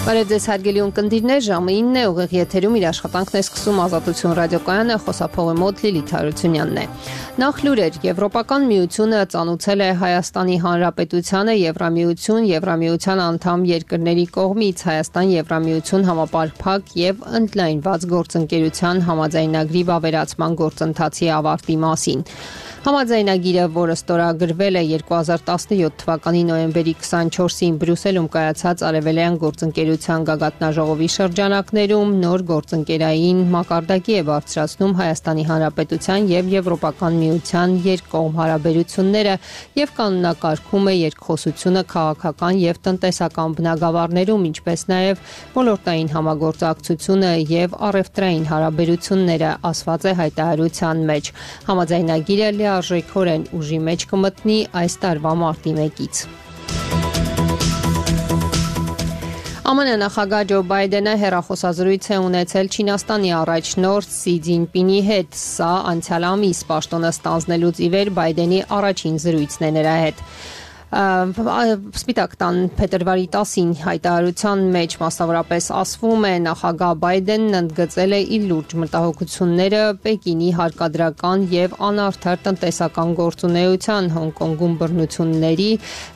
Բարև ձեզ հարգելի ունկնդիրներ, ժամը 9 է, ուղիղ եթերում իր աշխատանքն է սկսում Ազատություն ռադիոկայանը, խոսափողի մոտ Լիլիթ Հարությունյանն է։ Նախ լուրեր, Եվրոպական միությունը ծանուցել է Հայաստանի Հանրապետությանը Եվրամիության անդամ երկրների կողմից Հայաստան-Եվրամիություն համապարփակ եւ ընդլայնված գործընկերության համաձայնագրի վավերացման գործընթացի ավարտի մասին։ Համաձայնագիրը, որը ստորագրվել է 2017 թվականի նոյեմբերի 24-ին Բրյուսելում կայացած Արևելյան գործընկերության գագաթնաժողովի շրջանակներում նոր գործընկերային մակարդակի է բարձրացնում Հայաստանի Հանրապետության եւ Եվրոպական միության երկկողմ հարաբերությունները եւ կանոնակարգում է երկխոսությունը քաղաքական եւ տնտեսական բնագավառներում, ինչպես նաեւ ոլորտային համագործակցությունը եւ առևտրային հարաբերությունները, ասված է հայտարարության մեջ։ Համաձայնագիրը լիարժեքորեն ուժի մեջ կմտնի այս տարվա մարտի 1-ից։ ԱՄՆ նախագահ Ջո Բայդենը հեռախոսազրույց է ունեցել Չինաստանի առաջնորդ Սի Ցզինպինի հետ։ Սա անցյալ ամիս պաշտոնը ստանձնելուց ի վեր Բայդենի առաջին զրույցն է նրա հետ։ Սպիտակ տան փետրվարի 10-ին հայտարարության մեջ մասնավորապես ասվում է նախագահ Բայդենն ընդգծել է իր լուրջ մտահոգությունները Պեկինի հարկադրական եւ անարդար տնտեսական գործունեության, Հոնկոնգում բռնությունների,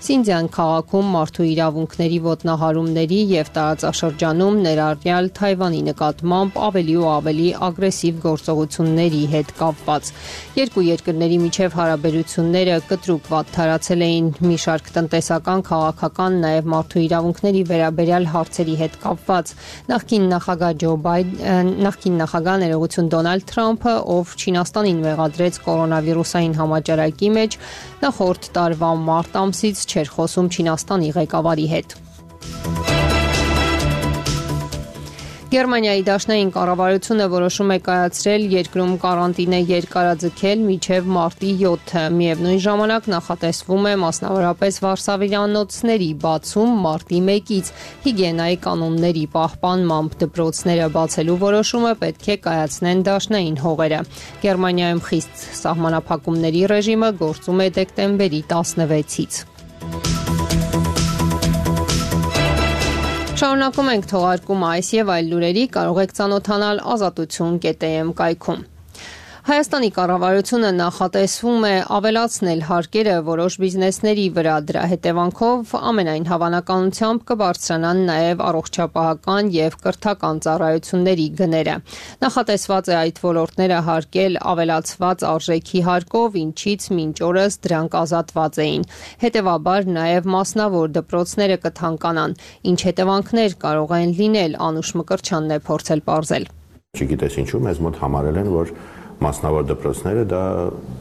Սինձյան քաղաքում մարդու իրավունքների ոտնահարումների եւ տարածաշրջանում ներառյալ Թայվանի նկատմամբ ավելի ու ավելի ագրեսիվ գործողությունների հետ կապված։ Երկու երկրների միջև հարաբերությունները կտրուկ վատթարացել էին մի շարք տնտեսական, քաղաքական, նաև մարդու իրավունքների վերաբերյալ հարցերի հետ կապված։ Նախկին նախագահ ներողություն Դոնալդ Թրամփը, ով Չինաստանին մեղադրեց կորոնավիրուսային համաճարակի մեջ, նախորդ տարվա մարտ ամսից չէր խոսում Չինաստանի ղեկավարի հետ։ Գերմանիայի դաշնային կառավարությունը որոշում է կայացրել երկրում կարանտինը երկարաձգել մինչև մարտի 7-ը։ Միևնույն ժամանակ նախատեսվում է մասնավորապես վարսավիրանոցների բացում մարտի 1-ից։ Հիգիենայի կանոնների պահպանմամբ դպրոցները բացելու որոշումը պետք է կայացնեն դաշնային հողերը։ Գերմանիայում խիստ սահմանափակումների ռեժիմը գործում է դեկտեմբերի 16-ից։ Շարունակում ենք թողարկումը այս եւ այլ լուրերի կարող եք ծանոթանալ azatutun.am կայքում։ Հայաստանի կառավարությունը նախատեսվում է ավելացնել հարկերը որոշ բիզնեսների վրա, դրա հետևանքով ամենայն հավանականությամբ կբարձրանան նաև առողջապահական եւ կրթական ծառայությունների գները։ Նախատեսված է այդ ոլորտները հարկել ավելացված արժեքի հարկով, ինչից մինչ օրս դրանք ազատված էին։ Հետևաբար նաև մասնավոր դպրոցները կթանկանան։ Ինչ հետևանքներ կարող են լինել, Անուշ Մկրտչյանն է փորձել պարզել։ Չգիտես ինչու մեզ մոտ համարել են, որ մասնավոր դպրոցները դա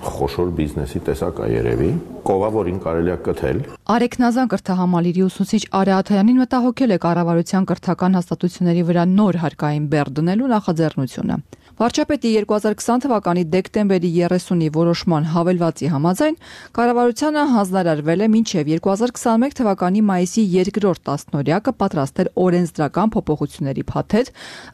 խոշոր բիզնեսի տեսակ է երևի, կողա, որին կարելի է կթել։ Արեգ Նազան կրթահամալիրի ուսուցիչ Արեգ Աթայանին մտահոգել է կառավարության կրթական հաստատությունների վրա նոր հարկային բեռ դնելու նախաձեռնությունը։ Վարչապետի 2020 թվականի դեկտեմբերի 30-ի որոշման հավելվածի համաձայն կառավարությանը հանձնարարվել է մինչև 2021 թվականի մայիսի 2-րդ տասնօրյակը պատրաստել օրենսդրական փոփոխությունների փաթեթ,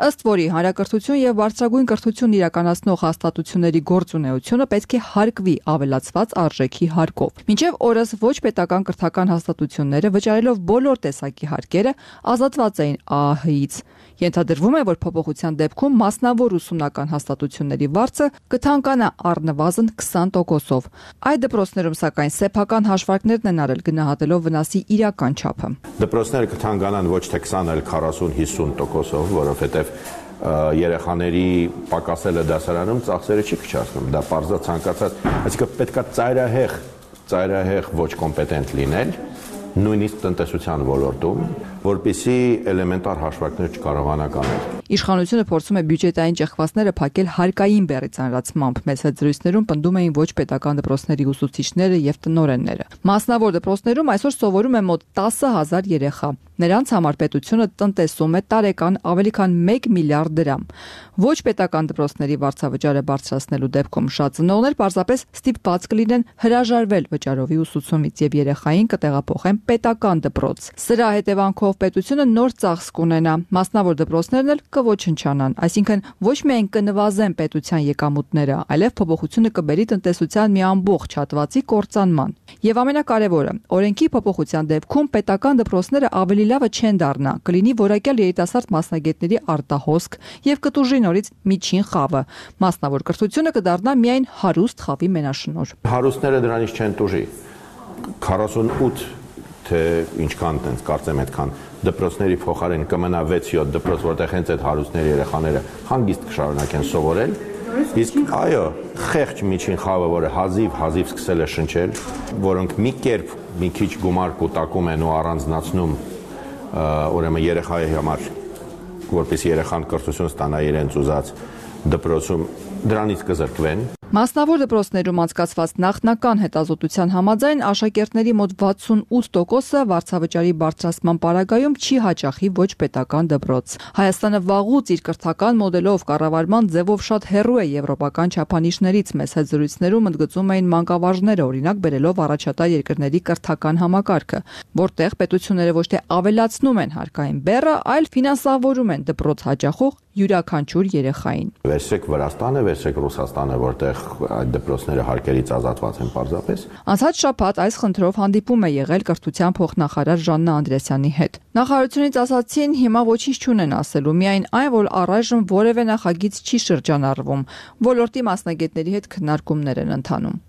ըստ որի հանրակրթություն եւ բարձրագույն կրթություն իրականացնող հաստատությունների գործունեությունը պետք է հարկվի ավելացված արժեքի հարկով։ Մինչև օրս ոչ պետական կրթական հաստատությունները վճարելով բոլոր տեսակի հարկերը ազատված էին ԱԱՀ-ից։ Ենթադրվում է, որ փոփոխության դեպքում մասնավոր ուսումնական հաստատությունների վարձը կթանկանա առնվազն 20%-ով։ Այդ դպրոցներում սակայն սեփական հաշվարկներն են արել գնահատելով վնասի իրական չափը։ Դպրոցները կթանկանան ոչ թե 20, այլ 40-50%-ով, որովհետև երեխաների պակասելը դասարանում ծախսերը չի քչացնում, դա պարզա ցանկացած, այսինքն պետքա ծայրահեղ ոչ կոմպետենտ լինել, նույնիսկ տնտեսության ոլորտում, որպեսզի էլեմենտար հաշվարկներ չկարողանա կանել։ Իշխանությունը փորձում է բյուջետային ճեղքվածները փակել հարկային բեռի ծանրացմամբ։ Մեծ զրույցներում պնդում էին ոչ պետական դպրոցների ուսուցիչները եւ տնօրենները։ Մասնավոր դպրոցներում այսօր սովորում է մոտ 10,000 երեխա։ Նրանց համար պետությունը տնտեսում է տարեկան ավելի քան 1 միլիարդ դրամ։ Ոչ պետական դպրոցների վարձավճարը բարձրացնելու դեպքում շատ ծնողներ պարզապես ստիպված կլինեն հրաժարվել վճարովի ուսուցումից եւ երեխային կտեղափոխեն պետական դպրոց։ Սրա հետևանքով ապահով պետությունը նոր ծախս կունենա, մասնավոր դպրոցներն էլ կոչնչանան, այսինքն ոչ միայն կնվազեն պետության եկամուտները, այլև փոփոխությունը կբերի տնտեսության մի ամբողջ հատվածի կործանման։ Եվ ամենակարևորը, օրենքի փոփոխության դեպքում պետական դպրոցները ավելի լավը չեն դառնա, կլինի որակյալ երիտասարդ մասնագետների արտահոսք եւ կտուժի նորից միջին խավը։ Մասնավոր կրթությունը կդառնա միայն հարուստ խավի մենաշնորհ։ Հարուստները դրանից չեն տուժի։ 48 թե ինչքան տենց կարծեմ այդքան դպրոցների փոխարեն կմնա 6-7 դպրոց, որտեղ հենց այդ հարուստների երեխաները հանգիստ կշարունակեն սովորել։ Իսկ այո, խեղճ միջին խավը, որը հազիվ սկսել է շնչել, որոնք մի կերպ մի քիչ գումար կուտակում են ու առանձնացնում ուրեմն երեխայի համար, որպես երեխան կրթություն ստանա իրենց ուզած դպրոցում, դրանից կզրկվեն։ Մասնավոր դպրոցներում անցկացված նախնական հետազոտության համաձայն աշակերտների մոտ 68%-ը վարձավճարի բարձրացման պարագայում չի հաճախի ոչ պետական դպրոց։ Հայաստանը վաղուց իր կրթական մոդելով կառավարման ձևով շատ հեռու է եվրոպական չափանիշներից։ Մեծ հետ զրույցներում ընդգծում էին մանկավարժները, օրինակ բերելով առաջատար երկրների կրթական համակարգը, որտեղ պետությունները ոչ թե ավելացնում են հարկային բեռը, այլ ֆինանսավորում են դպրոց հաճախող յուրաքանչյուր երեխային։ Վերցրեք Վրաստանը, վերցրեք Ռուսաստանը, որտեղ այդ դպրոցները հարկերից ազատված են պարզապես։ Անցած շաբաթ այս խնդրով հանդիպում է եղել կրթության փոխնախարար Ժաննա Անդրեասյանի հետ։ Նախարարությունից ասացին, հիմա ոչինչ չունեն ասելու, միայն այն, որ առայժմ որևէ նախագիծ չի շրջանառվում։ Ոլորտի մասնագետների հետ քննարկումներ են ընթանում։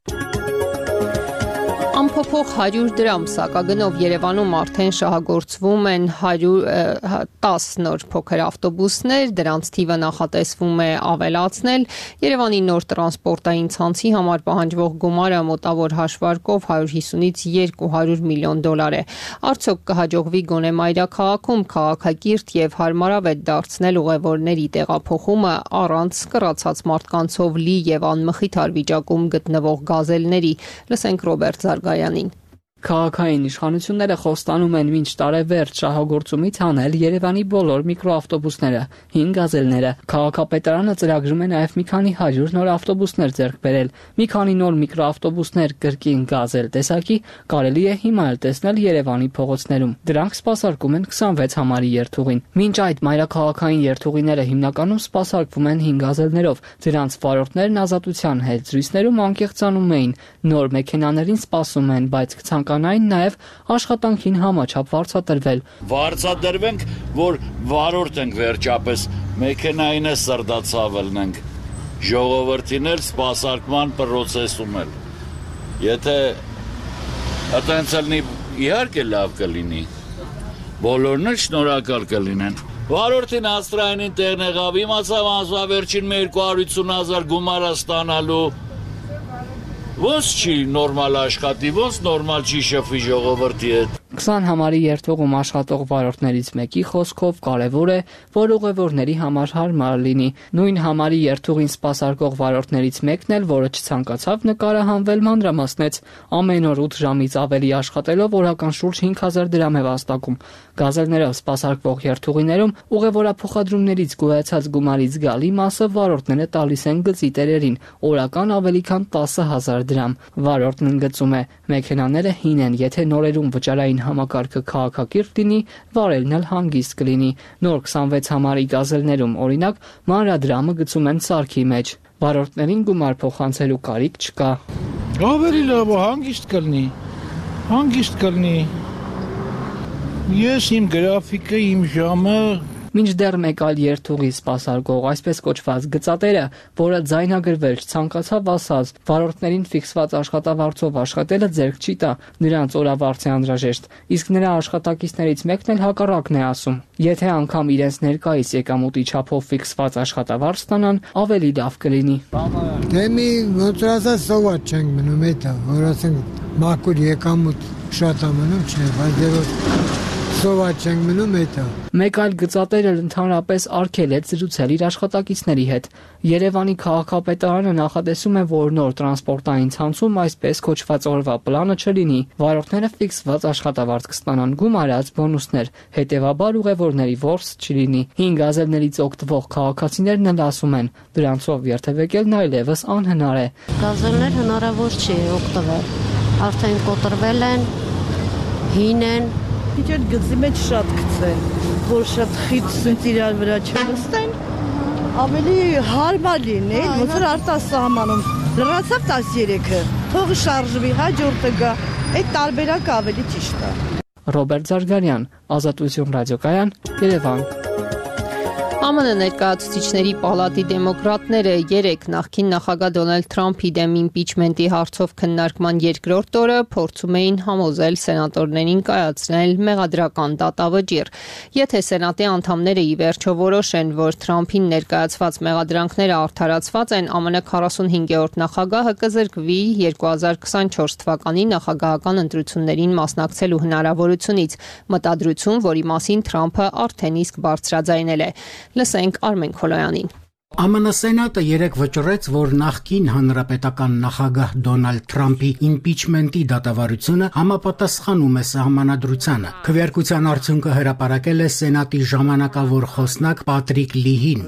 Ամփոփող 100 դրամ սակագնով Երևանում արդեն շահագործվում են 110 նոր փոքր ավտոբուսներ, դրանց թիվը նախատեսվում է ավելացնել։ Երևանի նոր տրանսպորտային ցանցի համար պահանջվող գումարը մոտավոր հաշվարկով 150-ից 200 միլիոն դոլար է։ Արդյոք կհաջողվի գոնե մայրաքաղաքում քաղաքակիրթ եւ հարմարավետ դարձնել ուղևորների տեղափոխումը առանց կռացած մարդկանցով լի եւ անմխիթար վիճակում գտնվող գազելների։ Լսենք Ռոբերտ Զարգայանին։ Քաղաքային իշխանությունները խոստանում են մինչ տարեվերջ շահագործումից հանել Երևանի բոլոր միկրոավտոբուսները, 5 գազելները։ Քաղաքապետարանը ծրագրում է նաև մի քանի 100 նոր ավտոբուսներ ձեռք բերել։ Մի քանի նոր միկրոավտոբուսներ կրկին գազել տեսակի կարելի է հիմա էլ տեսնել Երևանի փողոցներում։ Դրանք սպասարկում են 26 համարի երթուղին։ Մինչ այդ մայրաքաղաքային երթուղիները հիմնականում սպասարկվում են 5 գազելներով։ Դրանց վարորդներն ազատության հետ զրույցներում անկեղծանում էին։ Նոր մեքենաներին սպասում են, բայց կցանկանային նաև աշխատանքին համաչափ վարձատրվել։ Վարձատրվենք, որ վարորդ ենք վերջապես, մեքենային է սրդացավ ելնենք, ժողովրդին էլ սպասարկման պրոցեսում էլ։ Եթե այդպես լինի, իհարկե լավ կլինի, բոլորն էլ շնորհակալ կլինեն։ Վարորդին աստրայինին տեղն եղավ, իմացավ անձավերջին 250,000 գումար ստանալու։ Ոնց չի նորմալ աշխատի, ոնց նորմալ չի շփվի ժողովրդի հետ։ 20 համարի երթուղում աշխատող վարորդներից մեկի խոսքով կարևոր է, որ ուղևորների համար հարմար լինի։ Նույն համարի երթուղին սպասարկող վարորդներից մեկն էլ, որը չցանկացավ նկարահանվել, մանրամասնեց, ամեն օր 8 ժամից ավելի աշխատելով օրական շուրջ 5000 դրամ է վաստակում։ Գազելներով սպասարկվող երթուղիներում ուղևորափոխադրումներից գոյացած գումարից գալի մասը վարորդները տալիս են գծի տերերին, օրական ավելի քան 10000 դրամ։ Վարորդն ընդգծում է, մեքենաները հին են, եթե նորերում վճարային համակարգը քաղաքակիրթ լինի, վարելն էլ հանգիստ կլինի։ Նոր 26 համարի գազելներում, օրինակ, մանրադրամը գցում են սարքի մեջ։ Վարորդներին գումար փոխանցելու կարիք չկա։ Ավելի լավ հանգիստ կլինի։ Ես իմ գրաֆիկը, իմ ժամը Մինչդեռ մեկ այլ երթուղի սպասարկող, այսպես կոչված գծատերը, որը ձայնագրվել չցանկացավ, ասաց, վարորդներին ֆիքսված աշխատավարձով աշխատելը ձեռք չի տա, նրանց օրավարձ է անհրաժեշտ, իսկ նրա աշխատակիցներից մեկն էլ հակառակն է ասում։ Եթե անգամ իրենց ներկայիս եկամուտի չափով ֆիքսված աշխատավարձ ստանան, ավելի լավ կլինի։ Դե մի ոնց ասած սովատ չենք մնում էտա, որ ասենք մաքուր եկամուտ շատ է մնում, չէ, բայց դե որ սովատ չենք մնում էտա։ Մեկ այլ գծատեր էլ ընդհանրապես արգելեց զրուցել իր աշխատակիցների հետ։ Երևանի քաղաքապետարանը նախատեսում է, որ նոր տրանսպորտային ցանցում այսպես կոչված օրվա պլանը չլինի։ Վարորդները ֆիքսված աշխատավարձ կստանան, գումարած բոնուսներ, հետևաբար ուղևորների ворս չլինի։ 5 գազելներից օգտվող քաղաքացիներն էլ ասում են, դրանցով երթևեկելն այլևս անհնար է։ Գազելներ հնարավոր չի օգտվել, արդեն կոտրվել են, հին են, քիչ էլ գծի մեջ շատ գցեն, որ շատ խիտ իրար վրա չնստեն, ավելի հարմար լինի, ոնց որ արտասահմանում լրացավ 13-ը, թող շարժվի, հաջորդը գա, այդ տարբերակը ավելի ճիշտ է։ Ռոբերտ Զարգարյան, Ազատություն ռադիոկայան, Երևան։ ԱՄՆ ներկայացուցիչների պալատի դեմոկրատները 3 նախկին նախագահ Դոնալդ Թրամփի դեմ իմպիչմենտի հարցով քննարկման երկրորդ օրը փորձում էին համոզել սենատորներին կայացնել մեղադրական դատավճիռ։ Եթե սենատի անդամները ի վերջո որոշեն, որ Թրամփին ներկայացված մեղադրանքները արդարացված են, ԱՄՆ 45-րդ նախագահը կզրկվի 2024 թվականի նախագահական ընտրություններին մասնակցելու հնարավորությունից, մտադրություն, որի մասին Թրամփը արդեն իսկ բարձրաձայնել է։ Լսենք Արմեն Քոլոյանին։ ԱՄՆ Սենատը 3 վճռեց, որ նախկին հանրապետական նախագահ Դոնալդ Թրամփի իմպիչմենտի դատավարությունը համապատասխանում է սահմանադրությանը։ Քվեարկության արդյունքը հրապարակել է Սենատի ժամանակավոր խոսնակ Պատրիկ Լիհին։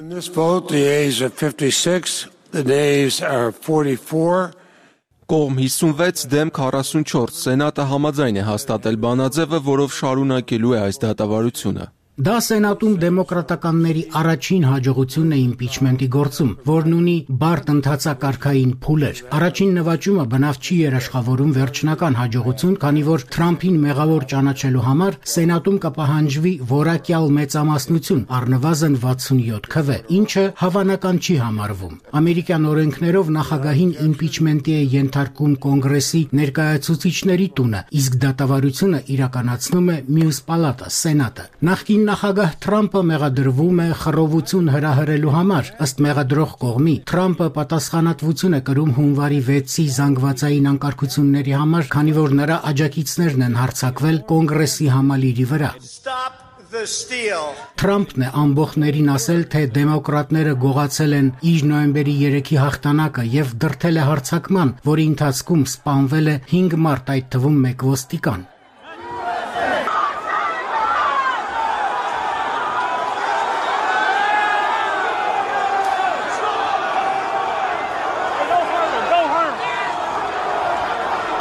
Կողմ 56 դեմ 44 Սենատը համաձայն է հաստատել բանաձևը, որով շարունակելու է այս դատավարությունը։ Դա Սենատում դեմոկրատականների առաջին հաջողությունն է իմպիչմենտի գործում, որն ունի բարդ ընթացակարգային փուլեր։ Առաջին նվաճումը բնավ չի երաշխավորում վերջնական հաջողություն, քանի որ Թրամփին մեղավոր ճանաչելու համար Սենատում կպահանջվի որակյալ մեծամասնություն, առնվազն 67 քվե, ինչը հավանական չի համարվում։ Ամերիկյան օրենքներով նախագահին իմպիչմենտի է ենթարկում Կոնգրեսի ներկայացուցիչների տունը, իսկ դատավարությունը իրականացնում է մյուս պալատը՝ Սենատը։ Նախկին նախագահ Թրամփը մեղադրվում է խռովություն հրահրելու համար։ Ըստ մեղադրող կողմի, Թրամփը պատասխանատվություն է կրում հունվարի 6-ի զանգվածային անկարգությունների համար, քանի որ նրա աջակիցներն են հարձակվել Կոնգրեսի համալիրի վրա։ Թրամփն է ամբողջներին ասել, թե դեմոկրատները գողացել են իր նոյեմբերի 3-ի հաղթանակը եւ դրդել է հարձակման, որի ընթացքում սպանվել է 5 մարդ, այդ թվում 1 ոստիկան։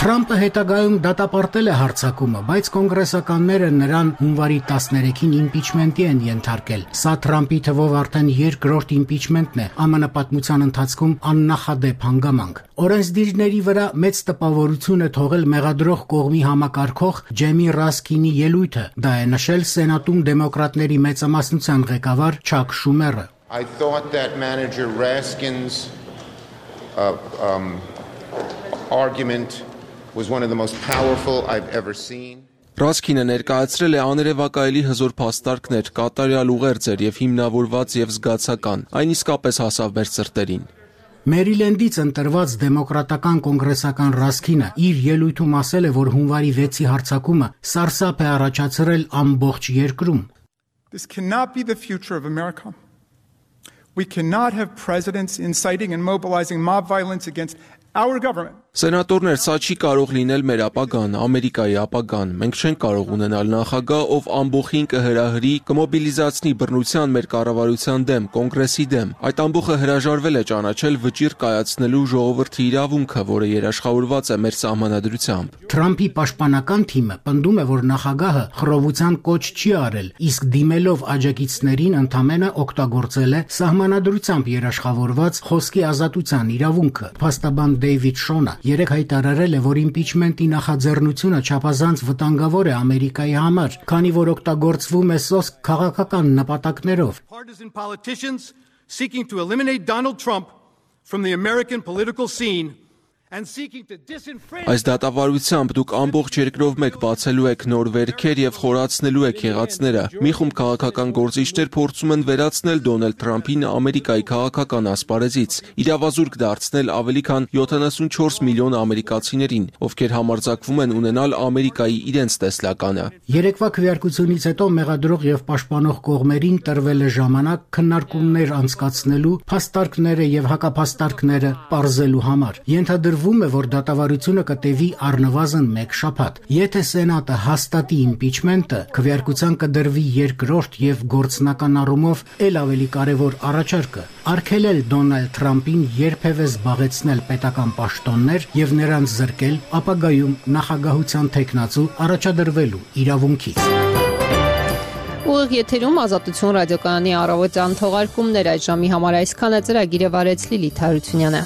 Թրամփը հետագայում դատապարտել է հարձակումը, բայց կոնգրեսականները նրան հունվարի 13-ին իմպիչմենտի են ենթարկել։ Սա Թրամփի թվով արդեն երկրորդ իմպիչմենտն է ԱՄՆ պատմության ընթացքում աննախադեպ հանգամանք։ Օրենսդիրների վրա մեծ տպավորություն է թողել մեղադրող կողմի համակարգող Ջեմի Ռասկինի ելույթը։ Դա է նշել Սենատում դեմոկրատների մեծամասնության ղեկավար Չակ Շումերը։ I thought that manager Raskin's argument was one of the most powerful I've ever seen. Ռասկինը ներկայացրել է աներևակայելի հզոր փաստարկներ, կատարյալ ուղերձեր եւ հիմնավորված եւ զգացական։ Այն իսկապես հասավ մեր սրտերին։ Մերիլենդից ընտրված դեմոկրատական կոնգրեսական Ռասկինը իր ելույթում ասել է, որ հունվարի 6-ի հարձակումը սարսափ է առաջացրել ամբողջ երկրում։ This cannot be the future of America. We cannot have presidents inciting and mobilizing mob violence against our government. Սենատորներ, սա չի կարող լինել մեր ապագան, Ամերիկայի ապագան։ Մենք չենք կարող ունենալ նախագահ, ով ամբողջին կհրահրի, կմոբիլիզացնի բռնության մեր կառավարության դեմ, կոնգրեսի դեմ։ Այդ ամբողջը հրաժարվել է ճանաչել վճիռ կայացնելու ժողովրդի իրավունքը, որը երաշխավորված է մեր սահմանադրությամբ։ Թրամփի պաշտպանական թիմը պնդում է, որ նախագահը խռովության կոչ չի արել, իսկ դիմելով աջակիցներին ընդամենը օգտագործել է սահմանադրությամբ երաշխավորված խոսքի ազատության իրավունքը։ Փաստաբան Դեյվիդ Շոնը երեք հայտարարել է, որ իմպիչմենտի նախաձեռնությունը չափազանց վտանգավոր է Ամերիկայի համար, քանի որ օգտագործվում է սոսկ քաղաքական նպատակներով։ Partisan politicians seeking to eliminate Donald Trump from the American political scene and seeking to disenfranchise. Այս դատավարությամբ դուք ամբողջ երկրով մեկ բացելու եք նոր վերքեր եւ խորացնելու եք եղածները։ Մի խումբ քաղաքական գործիչներ փորձում են վերացնել Դոնալդ Թրամփին Ամերիկայի քաղաքական ասպարեզից, իրավազուրկ դարձնել ավելի քան 74 միլիոն ամերիկացիներին, ովքեր համարձակվում են ունենալ Ամերիկայի իրենց տեսլականը։ Երեկվա քվեարկությունից հետո մեղադրող եւ պաշտպանող կողմերին տրվել է ժամանակ քննարկումներ անցկացնելու, փաստարկները եւ հակափաստարկները պարզելու համար։ Ենթադրվում Հետևում է, որ դատավարությունը կտևի առնվազն 1 շաբաթ։ Եթե Սենատը հաստատի իմպիչմենտը, քվեարկության կդրվի երկրորդ եւ գործնական առումով ել ավելի կարևոր առաջարկը՝ արգելել Դոնալդ Թրամփին երբևէ զբաղեցնել պետական պաշտոններ եւ նրանց զրկել ապագայում նախագահության թեկնածու առաջադրվելու իրավունքից։ Ուղիղ եթերում Ազատություն ռադիոկայանի առավոտյան թողարկումներ այդ ժամի համար այսքանը ծրագիրը վարեց Լիլիթ Հարությունյանը։